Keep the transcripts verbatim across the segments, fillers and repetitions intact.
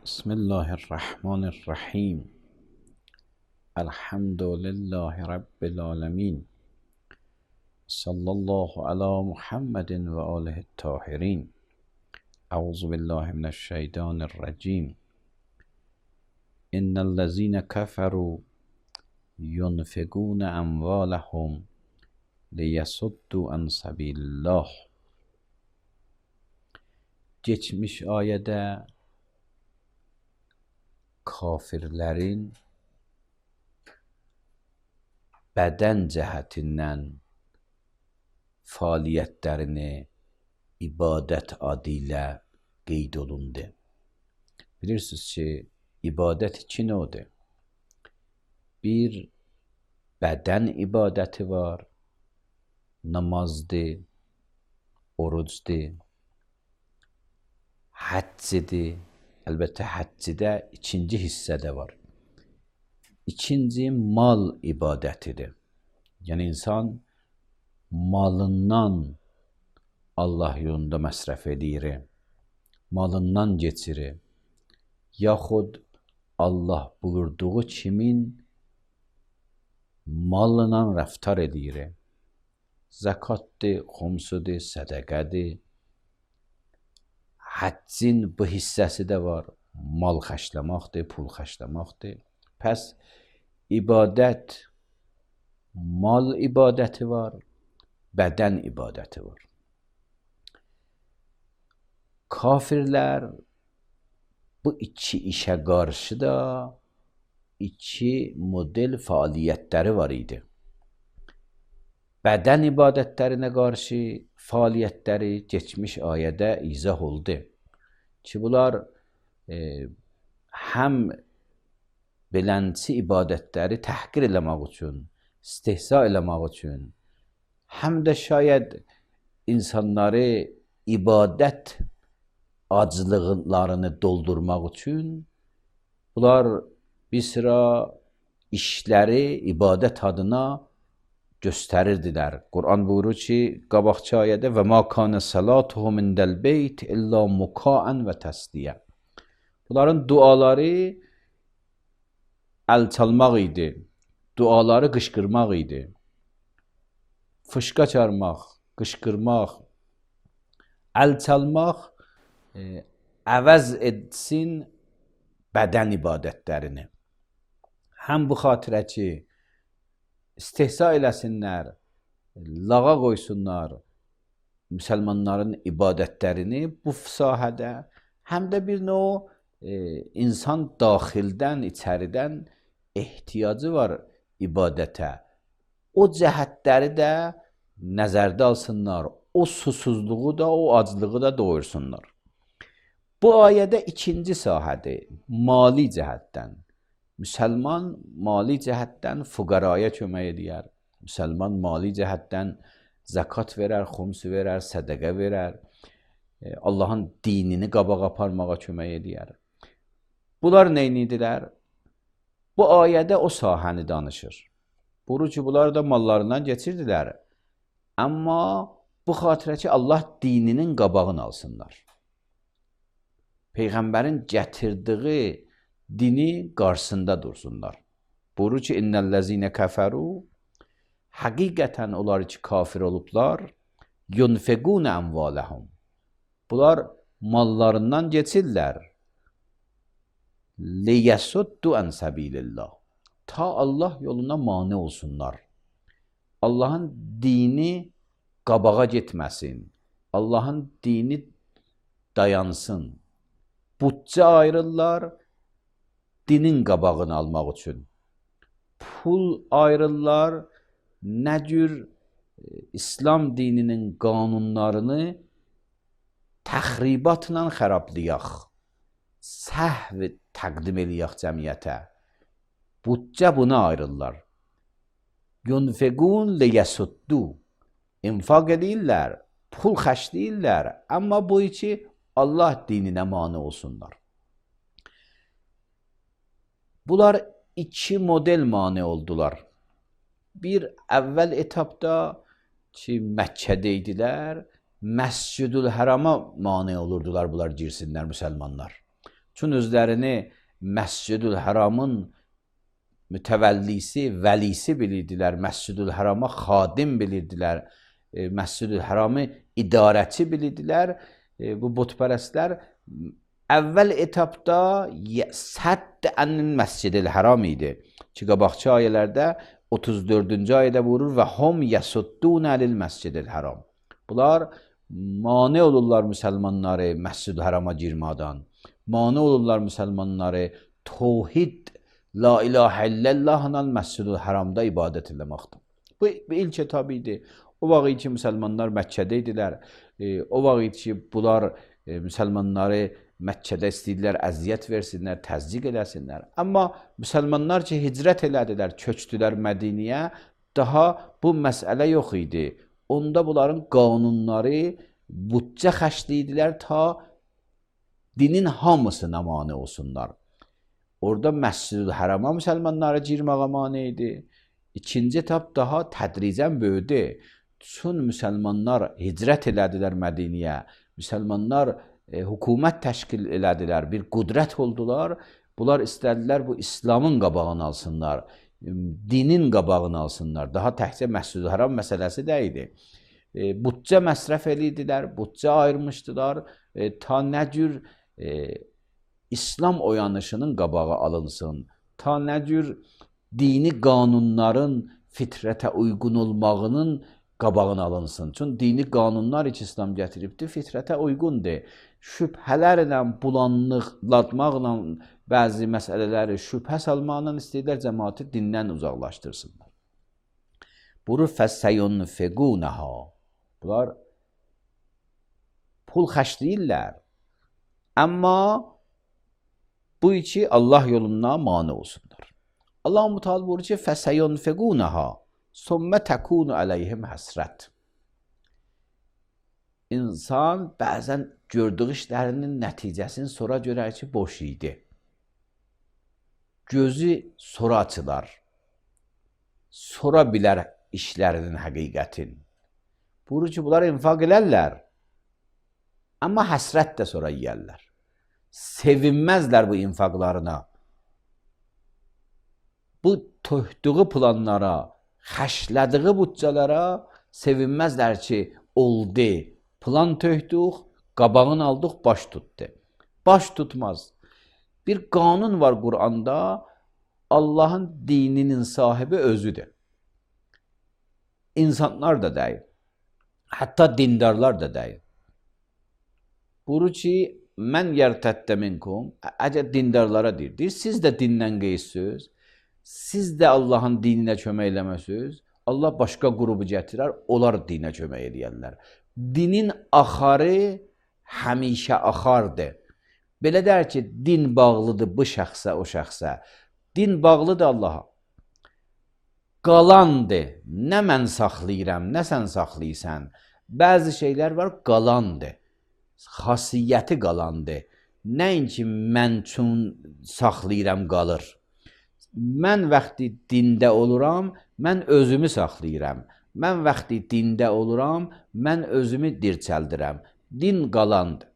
بسم الله الرحمن الرحیم. الحمد لله رب العالمین. صلی الله علی محمد و آله الطاهرین. اعوذ بالله من الشیطان الرجیم. ان الذين كفروا ينفقون اموالهم ليصدوا عن سبیل الله. Geçmiş ayədə kafirlərin bədən cəhətindən fəaliyyətlərini ibadət adı ilə qeyd olundu. Bilirsiniz ki, ibadət iki növdür. Bir, bədən ibadəti var, namazdır, orucdur, həccidir. Əlbəttə həccidə ikinci hissədə var. İkinci mal ibadətidir. Yəni insan malından Allah yolunda məsrəf edir, malından geçirir. Yaxud Allah buyurduğu kimin malına rəftar edir. Zəkatdır, xumsudur, sədəqədir. Həccin bu hissəsi də var. Mal xərcləməkdir, pul xərcləməkdir. Pəs ibadət, mal ibadəti var, bədən ibadəti var. Kafirlər bu iki işə qarşı da iki model fəaliyyətləri var idi. Bədən ibadətlərinə qarşı fəaliyyətləri geçmiş ayədə izah oldu ki, bunlar e, həm belənçi ibadətləri təhqir eləmək üçün, istehza eləmək üçün, həm də şayad insanları ibadət aclıqlarını doldurmaq üçün bunlar bir sıra işləri ibadət adına göstərirdilər. Quran buyurur ki, qabaqçı ayədə və ma kana salatuhum indəl beyt illa mukaan və təsdiyə. Bunların duaları əl çalmaq idi, duaları qışqırmaq idi. Fışqa çarmaq, qışqırmaq, əl çalmaq e, əvəz etsin bədən ibadətlərini. Həm bu xatirə ki, istehza eləsinlər, lağa qoysunlar müsəlmanların ibadətlərini bu sahədə, həm də bir növ e, insan daxildən, içəridən ehtiyacı var ibadətə. O cəhətləri də nəzərdə alsınlar, o susuzluğu da, o aclığı da doyursunlar. Bu ayədə ikinci sahədir, mali cəhətdən. Müsəlman mali cəhətdən fuqaraya kömək edər. Müsəlman mali cəhətdən zəkat verər, xums verər, sədəqə verər. Allahın dinini qabağa aparmağa kömək edər. Bunlar neynidilər? Bu ayədə o sahəni danışır. Buyurur ki, bunlar da mallarından geçirdilər. Amma bu xatirə ki, Allah dininin qabağını alsınlar. Peyğəmbərin gətirdiyi dini qarşısında dursunlar. Buyurur ki, innellezine kəfəru, həqiqətən onlar ki, kafir olublar, yunfequn əmvaləhum. Bunlar mallarından geçirlər. Liyəsuddu ən səbilillah. Ta Allah yoluna mane olsunlar. Allahın dini qabağa getməsin. Allahın dini dayansın. Bütçə ayırırlar, dinin qabağını almaq üçün. Pul ayrırlar, nə cür İslam dininin qanunlarını təxribatla xərablayaq, səhv təqdim eləyək cəmiyyətə. Bütçə buna ayrırlar. Yunfequn liyəsuddu. İnfaq edirlər, pul xərcləyirlər, amma bu iki Allah dininə mane olsunlar. Bunlar iki model mane oldular. Bir, əvvəl etapda ki, Məkkədə idilər, Məscid-ül Hərama mane olurdular bunlar girsinlər müsəlmanlar. Çün özlərini Məscidül Həramın mütəvəllisi, vəlisi bilirdilər. Məscidül Hərama xadim bilirdilər. E, Məscidül Həramı idarəçi bilirdilər. E, bu butpərəstlər əvvəl etapda sədd ənil Məscidül Həram idi. Ki, qabaqçı ayələrdə otuz dördüncü ayədə buyurur və hum yasuddun əlil Məscidül Həram. Bunlar mane olurlar müsəlmanları Məscidül Hərama girmədən. Mane olurlar müsəlmanları tevhid La ilahe illallahla Məscidül Həramda ibadət eləməkdir. Bu, bu ilk etap idi. O vaxt ki, müsəlmanlar Məkkədə idilər. E, o vaxt ki, bunlar e, müsəlmanları Məkkədə istəyirlər, əziyyət versinlər, təzyiq eləsinlər. Amma müsəlmanlar ki, hicrət elədilər, köçdülər Mədiniyə, daha bu məsələ yox idi. Onda bunların qanunları bütcə xərcləyirdilər ta dinin hamısına mane olsunlar. Orada Məscidül Hərama müsəlmanlara girməyə mane idi. İkinci etap daha tədricən böyüdü. Çün müsəlmanlar hicrət elədilər Mədiniyə, müsəlmanlar e, hökumət təşkil elədilər, bir qudrət oldular. Bunlar istədilər bu İslamın qabağını alsınlar, dinin qabağını alsınlar. Daha təkcə Məscidül Həram məsələsi də idi. E, bütcə məsrəf edirdilər, bütcə ayırmışdılar. E, ta nə cür e, İslam oyanışının qabağı alınsın, ta nə cür dini qanunların fitrətə uyğun olmağının qabağını alınsın. Çünki dini qanunlar ki, İslam gətiribdir, fitrətə uyğundur. Şübhələrlə, bulanlıqlatmaqla, bəzi məsələləri şübhə salmaqla istəyirlər cəmaatı dindən uzaqlaşdırsınlar. Buyurur fəssəyunfiqunəha. Bunlar pul xərcləyirlər. Amma bu iki Allah yolundan mane olsunlar. Allah Müteala buyurur ki, fəsəyunfiqunəha sümmə təkunu əleyhim həsrət. İnsan bəzən gördüyü işlərinin nəticəsini sonra görər ki, boş idi. Gözü sonra açılar. Sonra bilər işlərinin həqiqətin. Buyurur ki, bunlar infaq elərlər. Amma həsrət də sonra yiyərlər. Sevinməzlər bu infaqlarına. Bu töhdüğü planlara, xəşlədiği bütçələrə sevinməzlər ki, oldu. Plan töhdük, qabağını aldıq, baş tutdu. Baş tutmaz. Bir qanun var Qur'anda, Allahın dininin sahibi özüdür. İnsanlar da deyil. Hətta dindarlar da deyil. Buyurur ki, mən yərtəddə minkum, əgər dindarlara deyir, deyir, siz də dindən qeysiniz, siz də Allahın dininə kömək eləməsiniz, Allah başqa qrubu gətirər, onlar dinə kömək eləyərlər. Dinin axarı həmişə axardır. Belə der ki, din bağlıdır bu şəxsə, o şəxsə. Din bağlıdır Allaha. Qalandır. Nə mən saxlayıram, nə sən saxlayırsan. Bəzi şeylər var, qalandır. Xasiyyəti qalandır. Nəinki mən üçün saxlayıram, qalır. Mən vaxtı dində oluram, mən özümü saxlayıram. Mən vaxtı dində oluram, mən özümü dirçəldirəm. Din qalandır.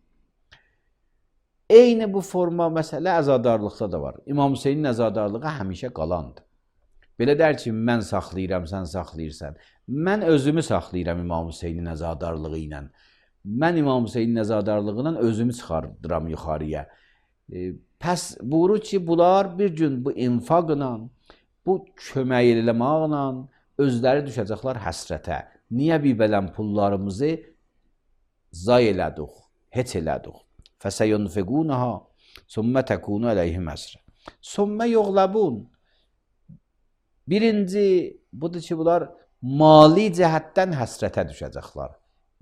Eyni bu forma məsələ əzadarlıqda da var. İmam Hüseynin əzadarlığı həmişə qalandır. Belə der ki, mən saxlayıram, sən saxlayırsan. Mən özümü saxlayıram İmam Hüseynin əzadarlığı ilə. Mən İmam Hüseynin əzadarlığından özümü çıxardıram yuxarıya. E, pəs buyurur ki, bunlar bir gün bu infaqla, bu kömək eləməklə özləri düşəcəklər həsrətə. Niyə bir bələn pullarımızı zay elədik, heç elədik. Fəsəyunfiqunəha sümmə təkunu əleyhim həsrət. Sümmə yoğlabun. Birinci, budur ki, bunlar mali cəhətdən həsrətə düşəcəklər.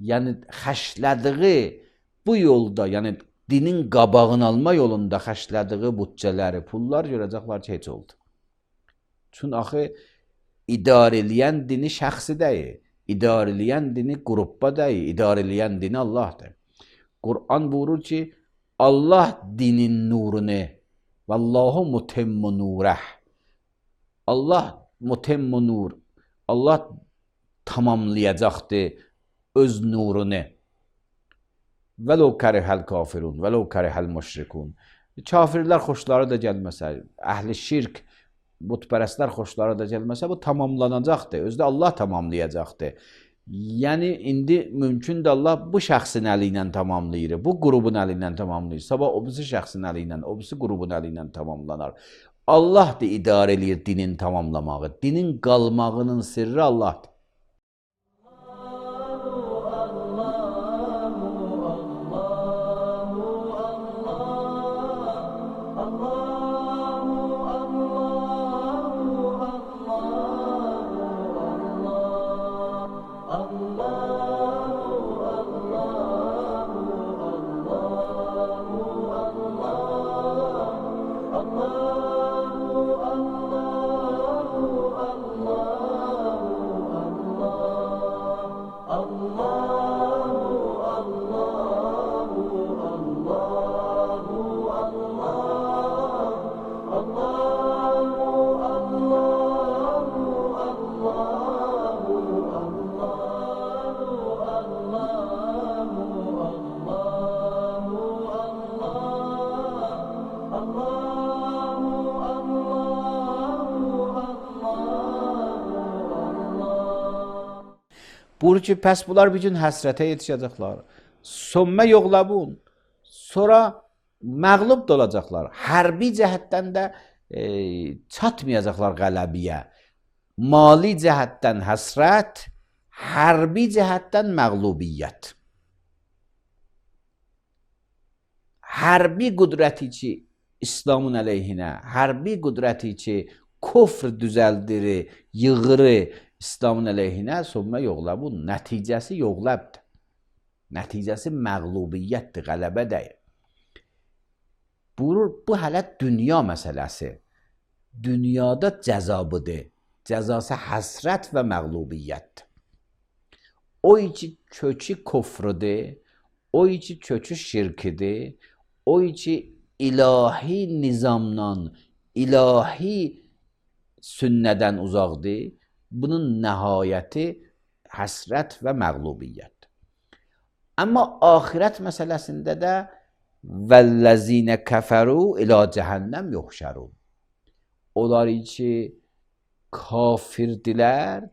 Yəni, xəşlədiği bu yolda, yəni dinin qabağını alma yolunda xəşlədiği bütçələri, pullar görəcəklər ki, heç oldu. Çünki axı, idarə eləyən dini şəxsi deyil, idarə eləyən dini qruppa deyil, idarə eləyən dini Allahdır. Qur'an buyurur ki, Allah dinin nurunu, Vallahu mutemmu nurəh. Allah mutemmu nur, Allah tamamlayacaqdır öz nurunu. Vəlau kərihəl kafirun, vəlau kərihəl müşrikun. kafirlər xoşları da gəlməsə, əhli şirk, butpərəstlər xoşları da gəlməsə, bu tamamlanacaqdır. Özdə Allah tamamlayacaqdır. Yəni, indi mümkündür Allah bu şəxsin əli ilə tamamlayır, bu qrubun əli ilə tamamlayır. Sabah o birisi şəxsin əli ilə, o birisi qrubun əli ilə tamamlanar. Allah da idarə edir dinin tamamlamağı. Dinin qalmağının sirri Allahdır. Buyurur ki, pəs bunlar bir gün həsrətə yetişəcəklər. Sommə yoxlabun. Sonra məğlub da olacaqlar. Hərbi cəhətdən də e, çatmayacaqlar qələbiyə. Mali cəhətdən həsrət, hərbi cəhətdən məğlubiyyət. Hərbi qüdrəti ki, İslamın əleyhinə, hərbi qüdrəti ki, kufr düzəldirir, yığırı, İslamın əleyhinə sommə yoxlabun. Nəticəsi yoxlabdır. Nəticəsi məğlubiyyətdir, qələbə deyil. Buyurur, bu hələ dünya məsələsi. Dünyada cəzabıdır. Cəzası həsrət və məğlubiyyətdir. O iki kökü kufrudur, o iki kökü şirkidir, o iki ilahi nizamdan, ilahi sünnədən uzaqdır. Bunun nəhayəti həsrət və məğlubiyyətdir. Amma axirət məsələsində də vəlləzinə kəfəru ilə cəhənnəm yoxşərun. Onlar ki, kafirdirlər,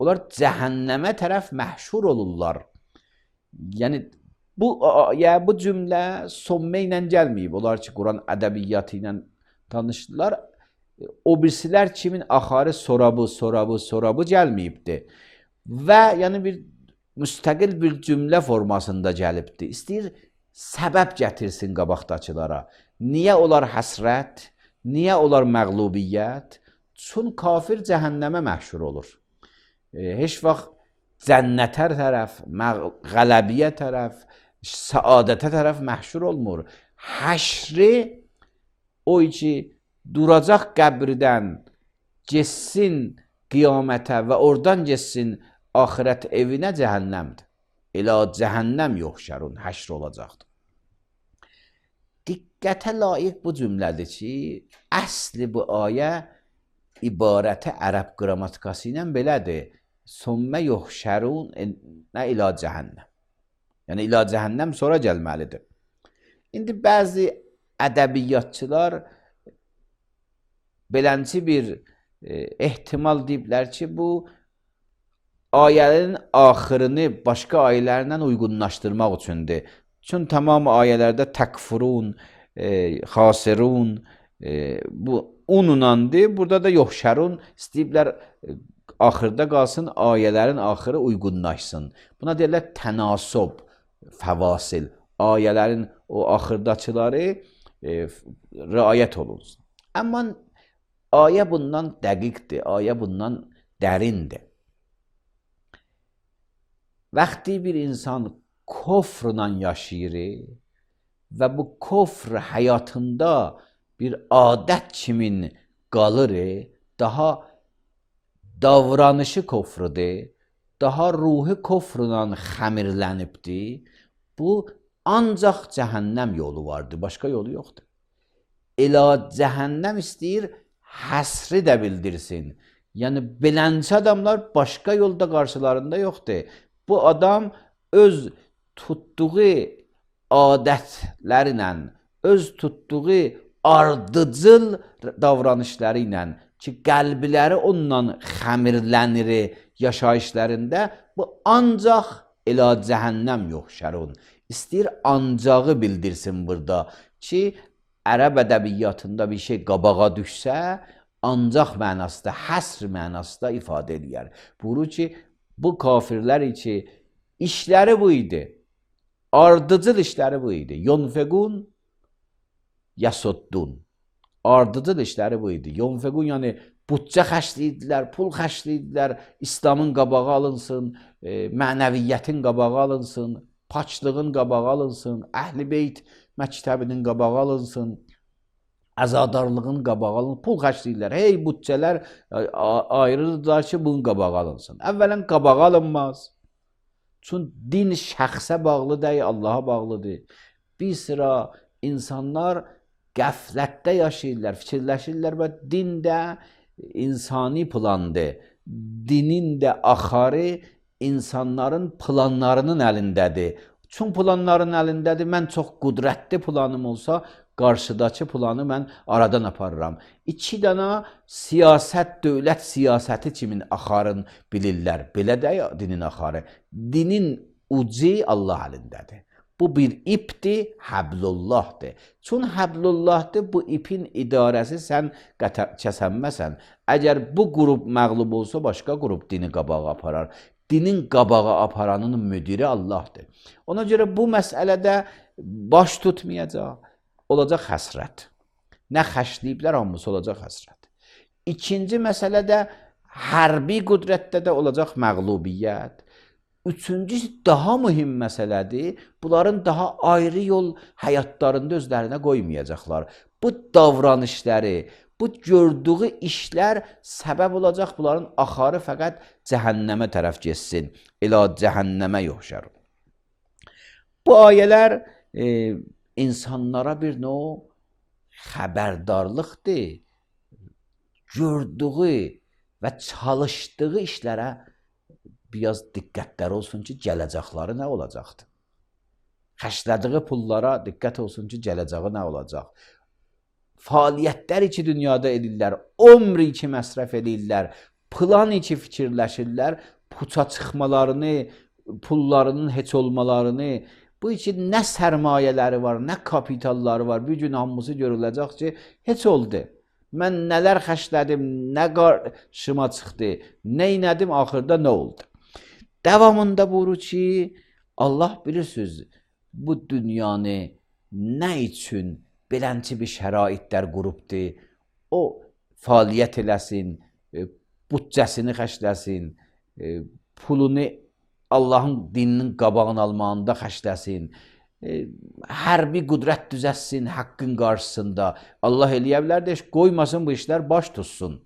onlar cəhənnəmə tərəf məhşur olurlar. Yəni, bu, ya, bu cümlə sommə ilə gəlməyib. Onlar ki, Quran ədəbiyyatı ilə tanışdılar. O birisilər kimin axarı sorabı, sorabı, sorabı gəlməyibdir. Və yəni bir müstəqil bir cümlə formasında gəlibdir. İstəyir səbəb gətirsin qabaqdakılara. Niyə onlar həsrət? Niyə onlar məğlubiyyət? Çün kafir cəhənnəmə məhşur olur. E, heç vaxt cənnətə tərəf, qələbiyə tərəf, səadətə tərəf məhşur olmur. Həşri o ki, duracaq qəbirdən, geçsin qiyamətə və oradan geçsin axirət evinə cəhənnəmdir. Elə cəhənnəm yoxşərun, həşr olacaqdır. Diqqətə layiq bu cümlədir ki, əsli bu ayə ibarəti ərəb qrammatikası ilə belədir. Sommə yoxşərun nə ilə cəhənnəm. Yəni, ilə cəhənnəm sonra gəlməlidir. İndi bəzi ədəbiyyatçılar belənçi bir e, ehtimal deyiblər ki, bu ayələrin axırını başqa ayələrlə uyğunlaşdırmaq üçündür. Çünki tamam ayələrdə təkfurun, e, xasirun, e, bu ununandır. Burada da yoxşərun istəyiblər e, axırda qalsın, ayələrin axırı uyğunlaşsın. Buna deyirlər tənasub, fəvasil. Ayələrin o axırdakıları e, riayət olunsun. Amma ayə bundan dəqiqdir, ayə bundan dərindir. Vaxtı bir insan kofrla yaşayır və bu kofr həyatında bir adət kimin qalır, daha davranışı kofrudur, daha ruhi kofrla xəmirlənibdir. Bu ancaq cəhənnəm yolu vardır, başqa yolu yoxdur. Elə cəhənnəm istəyir, həsri də bildirsin. Yəni, belənçi adamlar başqa yolda qarşılarında yoxdur. Bu adam öz tutduğu adətlərlə, öz tutduğu ardıcıl davranışları ilə ki, qəlbləri onunla xəmirlənir yaşayışlarında, bu ancaq elə cəhənnəm yoxşarun. İstəyir ancağı bildirsin burada ki, ərəb ədəbiyyatında bir şey qabağa düşsə, ancaq mənasında, həsr mənasında ifadə edir. Buyurur ki, bu kafirlər ki, işləri bu idi, ardıcıl işləri bu idi. Yunfequn, yasuddun. Ardıcıl işləri bu idi. Yunfequn, yəni bütçə xərcləyirdilər, pul xərcləyirdilər, İslamın qabağı alınsın, e, mənəviyyətin qabağı alınsın, paçlığın qabağı alınsın, Əhl-i Beyt məktəbinin qabağı alınsın, əzadarlığın qabağı alınsın, pul xərcləyirlər. Hey, bütçələr ayrılırlar ki, bunun qabağı alınsın. Əvvələn qabağı alınmaz. Çünki din şəxsə bağlı deyil, Allaha bağlıdır. Bir sıra insanlar qəflətdə yaşayırlar, fikirləşirlər və din də insani plandır. Dinin də axarı insanların planlarının əlindədir. Çünki planların əlindədir, mən çox qüdrətli planım olsa, qarşıdakı planı mən aradan aparıram. İki dana siyasət, dövlət siyasəti kimin axarın bilirlər. Belə də dinin axarı. Dinin ucu Allah əlindədir. Bu bir ipdir, Həblullahdır. Çünki Həblullahdır, bu ipin idarəsi sən kəsənməsən. Əgər bu qrup məğlub olsa, başqa qrup dini qabağa aparar. Dinin qabağa aparanın müdiri Allahdır. Ona görə bu məsələdə baş tutmayacaq, olacaq həsrət. Nə xərcləyiblər, hamısı olacaq həsrət. İkinci məsələdə hərbi qüdrətdə də olacaq məğlubiyyət. Üçüncüsü daha mühüm məsələdir. Bunların daha ayrı yol həyatlarında özlərinə qoymayacaqlar. Bu davranışları, bu gördüyü işlər səbəb olacaq, bunların axarı fəqət cəhənnəmə tərəf getsin. Elə cəhənnəmə yoxşar. Bu ayələr e, insanlara bir növ xəbərdarlıqdır. Gördüyü və çalışdığı işlərə biraz diqqətlər olsun ki, gələcəkləri nə olacaqdır? Xərclədiyi pullara diqqət olsun ki, gələcəyi nə olacaq? Fəaliyyətlər ki, dünyada edirlər, ömr ki, məsrəf edirlər, plan ki, fikirləşirlər, puça çıxmalarını, pullarının heç olmalarını, bu ki, nə sərmayələri var, nə kapitalları var, bir gün hamısı görüləcək ki, heç oldu. Mən nələr xərclədim, nə qarşıma çıxdı, nə inədim, axırda nə oldu? Davamında buyurur ki, Allah bilirsiniz, bu dünyanı nə üçün belənçi bir şəraitlər qurubdur, o fəaliyyət eləsin, bütcəsini xərcləsin, pulunu Allahın dininin qabağını almağında xərcləsin, hərbi qüdrət düzəsin haqqın qarşısında. Allah eləyə bilər də, qoymasın bu işlər baş tutsun.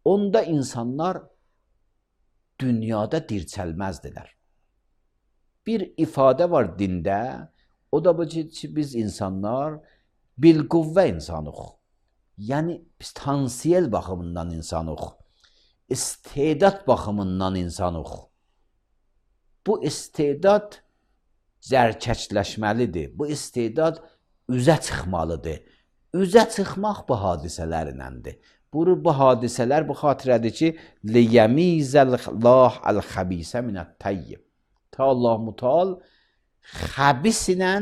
Onda insanlar dünyada dirçəlməzdilər. Bir ifadə var dində, o da bu ki, biz insanlar bilquvvə insanıq. Yəni, biz tansiyel baxımından insanıq. İstedad baxımından insanıq. Bu istedad zərkəkləşməlidir. Bu istedad üzə çıxmalıdır. Üzə çıxmaq bu hadisələrindəndir. Buyurur, bu hadisələr bu xatirədir ki, liyəmizəl-lah əl-xəbisə minət-təyyib. Ta Allah mutal xəbis ilə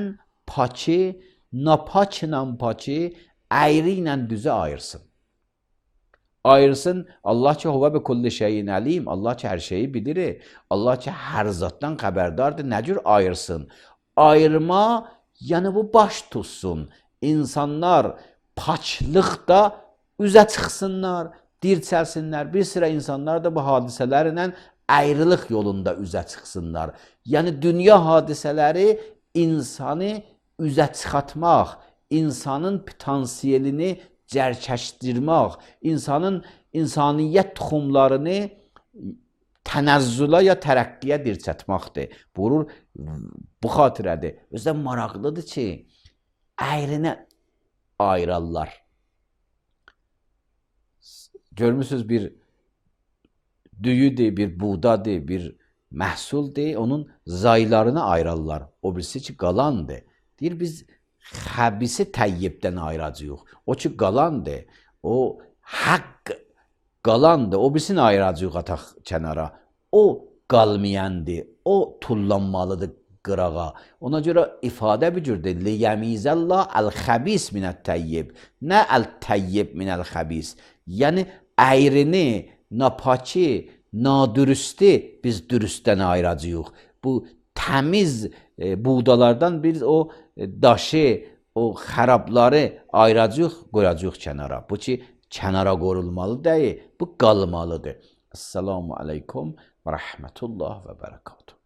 pakı, napak ilə pakı, əyri ilə düzü ayırsın. Ayırsın, Allah ki, huvə bi kulli şeyin əlim, Allah ki, hər şeyi bilir, Allah ki, hər zatdan xəbərdardır, nə cür ayırsın? Ayırma, yəni bu baş tutsun. İnsanlar paçlıqda üzə çıxsınlar, dirçəlsinlər. Bir sıra insanlar da bu hadisələrlə ayrılıq yolunda üzə çıxsınlar. Yəni, dünya hadisələri insanı üzə çıxatmaq, insanın potansiyelini cərkəşdirmək, insanın insaniyyət tuxumlarını tənəzzülə ya tərəqqiyə dirçətməkdir. Buyurur, bu xatirədir. Özdən maraqlıdır ki, əyrinə ayırarlar. Görmüsünüz, bir düyüdür, bir buğdadır, bir məhsuldur, onun zaylarını ayırarlar. O birisi ki, qalandır. Deyir, biz xəbisi təyyibdən ayıracağıq. O ki qalandır, o haqq qalandır, o birisini ayıracağıq ataq kənara. O qalmayandır, o tullanmalıdır qırağa. Ona görə ifadə bir cürdür. Liyəmizəllah əl-xəbis minət-təyyib. Nə əl-təyyib minəl-xəbis. Yəni əyrini, napaki, nadürüstü biz dürüstdən ayıracağıq. Bu təmiz e, buğdalardan biz o e, daşı, o xərabları ayıracağıq, qoyacağıq kənara. Bu ki, kənara qorulmalı deyil, bu qalmalıdır. Esselamu aleykum və rəhmətullah və bərəkatuhu.